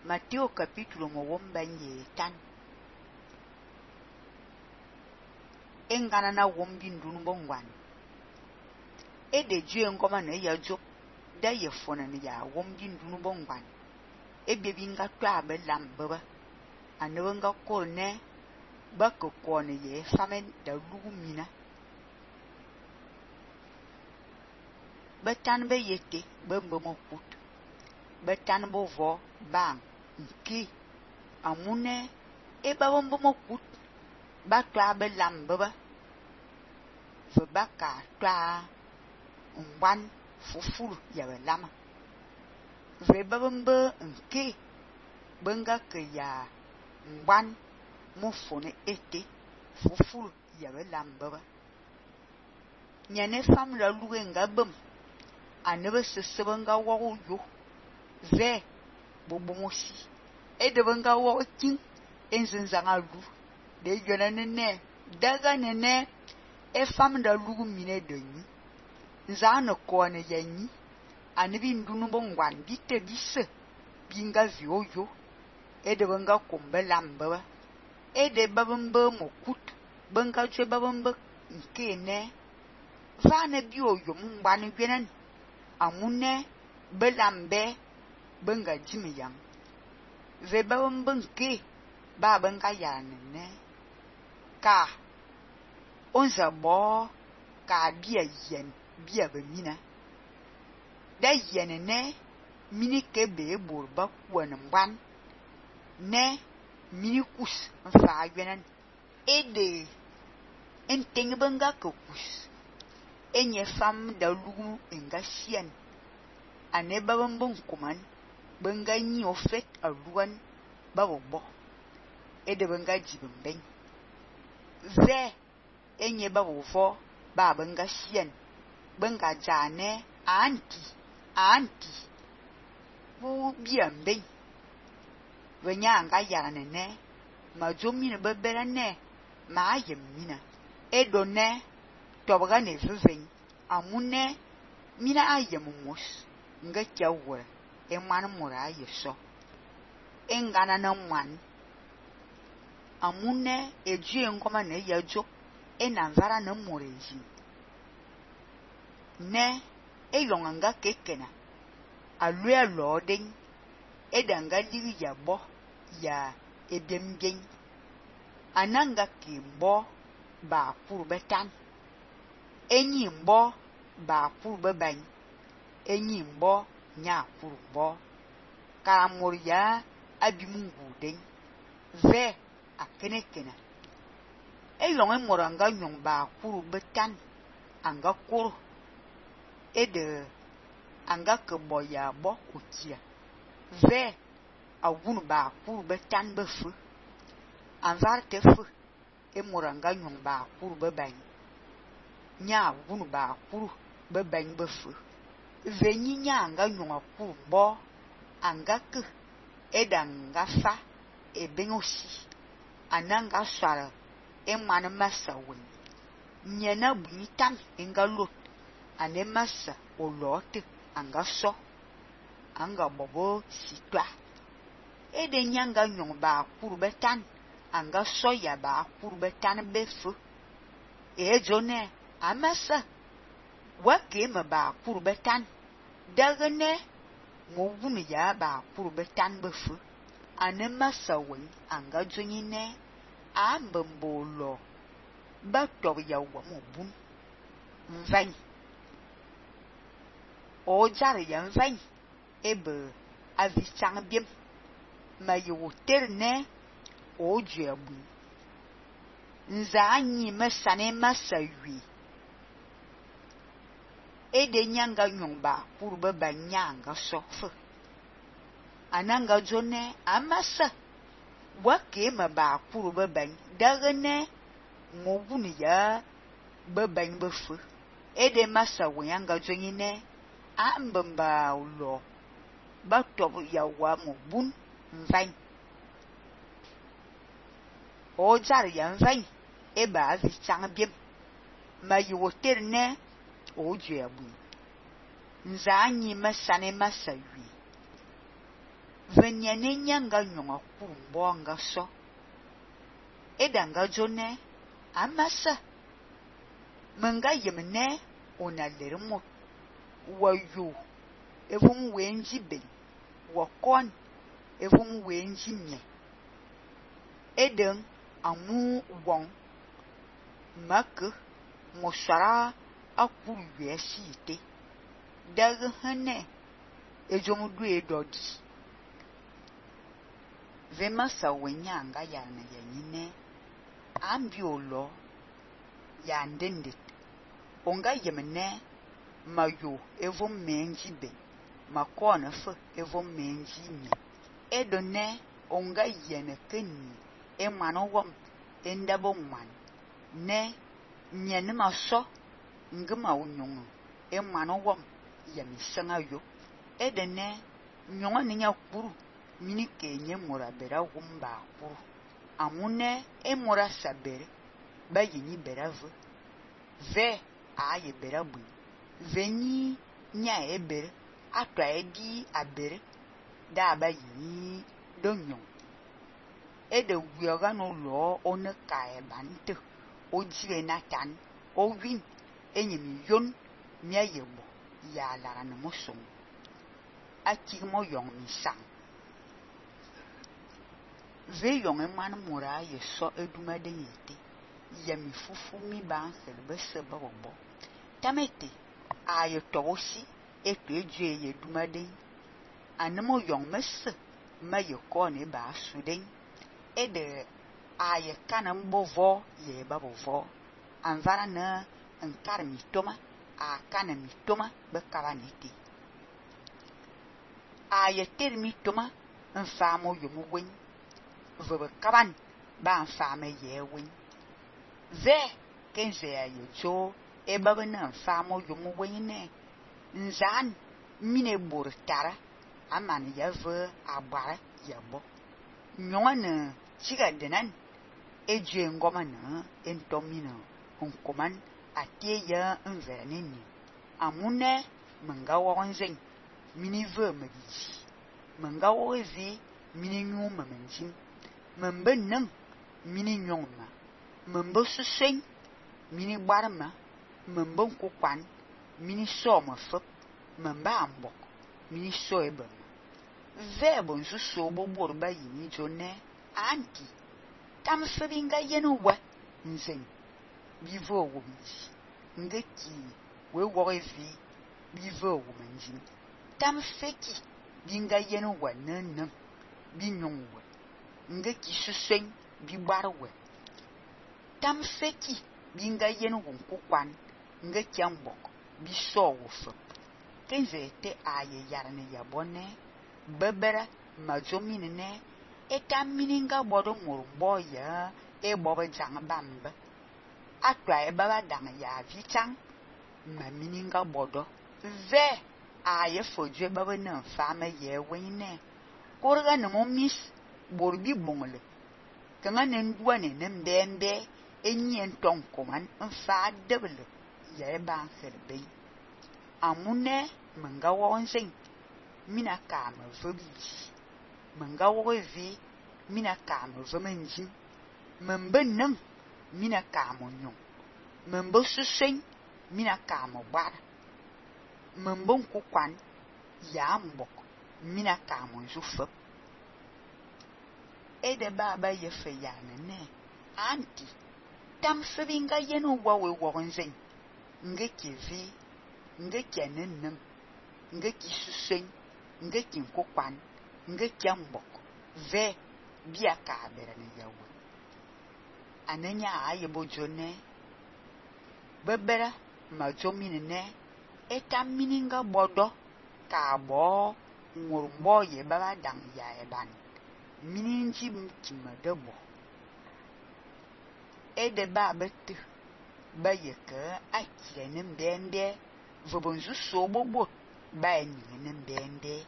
Matteo capítulo mowombanye tan. Engana na wombi ndunu bongwan. Ede jue ngoma na ya jop da ye fona ni ya wombi ndunu bongwan. Ebebi nga twa be lambaba. Anewe nga kol ne ba ko kone ye famen da lugu mina. Betan be yete be mbomo kut. Betan bo vo bang nke amune e ba mbomo kut ba twa be lambaba. Ve baka twa ngwan fufuru ya be lama. Ve babembe nke benga ke ya ngwan mufone ete fufuru ya be lambaba. Nyane fam la luge nga bem. Anebe sesebe nga wago yo. Ve bobomosi. Edebe nga wago king. Enzenzanga lu. De yona nene. Daga nene. E fam da lugu mine de nyi. Nzane kone ya nyi. Anebi ndunu bongwan. Bite bise. Binga vio yo. Edebe nga kombe lambaba. Ede babembe mokut. Benga jwe babembe nke ne. Vane bio yo mbane gwenen. Amune belambe benga jimi yang. Ve babembe nke ba benga yanene. Ka onza bo ka bia yen bia bemina. Da yenene mini kebe borba kwen mban. Ne mini kus mfa gwenen. Ede enteng benga ke kus. Enye fam da lugu enga sien. Ane babembe nkuman. Benga nyi ofet aluan babobo. Ede benga jibembeng. Ve enye babovo ba benga sien. Benga jane anti. Bu biambeng. Venya anga yaranene. Ma jomine bebera ne. Ma ayem mina. Edo ne. Tobaga ne viveng. Amune mina ayem mos. Nga kia wole. Emwana mura ayeso. Engana na mwan. Amune ejue ngoma ne yajo. Enanvara na moreji. Ne eyonganga kekena. Alue aloding. Edanga diri ya bo. Ya ebembeng. Ananga kimbo. Ba kurbetan. Enyi mbo ba kurbebany. Enyi mbo nya kurbo. Karamor ya abimungu den. Ve akenekena. Elonge moranga nyong ba kurbetan. Anga kuru. Ede anga kebo ya bo utia. Ve awunu ba kurbetan befu. Anvar tefu. Moranga nyong ba kurbebany. Nya wunu ba kuru bebany befu. Venyi nya anga nyonga kuru bo anga ke edanga fa ebengosi ananga swara emane masa wen. Nyena bunyitam enga lot ane masa olote anga so anga bobo sitwa. Ede nyanga nyong ba kuru betan anga so ya ba kuru betan befu. Ejone amasa wake me ba kuru betan. Dagane ngowunu ya ba kuru betan befu. Ane masa wen anga jonyine ambembolo ba tob ya wamu bun. Mvany. O jare ya mvany. Ebe avisang biem. Ma yo terne o jebu. Nza anyi mesane masa wi. Ede nyanga nyongba kurbe banyanga sofe. Ananga jone amasa. Wake me ba kurbe bany. Dagane ngowunu ya bebany befu. Ede masa wenyanga jonyine ambemba ulo. Ba tobu ya wamu bun mvany. O jari ya mvany. Eba avisang biem. Ma yo terne o jebu. Nza anyi mesane masa wi. Venyane nyanga nyonga kurumbo anga so. Edanga jone amasa. Menga yemne ona lermo wayo evum wenji ben wakon evum wenji nye. Eden amu wong mak mosara akuru yesite dag hane ejomu due dodi. Vema sa wenyanga yana yanyine ambiolo ya ndendit. Onga yemne mayo evum menji ben makona fe evum menji nye. Edone onga yene keni emano wom endabo man ne nyene maso ngema unyonga emano wom yamisanga yo. Edene nyonga ninya kuru mini kenye mura bera wumba kuru amune emura sabere ba yini bera ve aye bera bu veni nya ebere atwa edi abere da ba yini donyon. Ede wioga no lo one kae bante o jire natan o win enyemi yon mia yebo ya lara na mosong aki mo yong mi sang. Ve yong eman mura ye so eduma de yete yemi fufu mi ban selbe seba bobo tamete aye towosi ekwe je ye duma de anemo yong messe ma ye kone ba suden. Ede aye kanam bovo ye babovo anvara na nkar mi toma a kana mi toma be kabaniti aye ter mi toma nfamo yomu wen vebe kaban ba nfame ye wen ve kenze aye jo e babe na nfamo yomu wen ne nzan mine bortara amani ya ve agbara yabo nyonga na chiga denan eje ngoma na entomina onkoman atie ya nverenini amune menga wonzen mini ve mediji menga wozi mini nyuma menjin membe nang mini nyongma membe susen mini barma membe nkokwan mini soma fop membe ambok mini soebe vebo nsuso bobor ba yini jone anti tam febinga yenu wa nzen bivo wumji ngeki we worevi bivo wumanji tam feki binga yenu wa nan binyongwa ngeki susen bi barwe tam feki binga yenu wonkokwan ngeki ambok bi so wofa kenze te aye yarne yabone bebera majomine ne eta mininga bodo murumbo ya e bobe jang bambe atwa e baba dang ya vichang ma mininga bodo ve aye fojwe baba na fama ye wene korga no momis borbi bongle kanga nendua ne nembembe enyi entonkoman mfa debele ye ban serbe amune menga wonzen mina kama vobiji menga wovi mina kama vomenji membe nang mina kama nyong membe susen mina kama bar membe nkokwan ya mbok mina kama nzufop. Ede baba ye fe yana ne anti tam febinga yenu wawe wonzen ngeki vi ngeki nennem ngeki susen ngeki nkokwan ngeki mbok ve bia ka bere ne yawo anenya aye bojone bebera majomine ne eta mininga bodo ka bo ngurumbo ye baba dang ya eban mininji mtimedebo ede ba betu ba yeke akire ne mbende vobonzu so bobo ba enyi ne mbende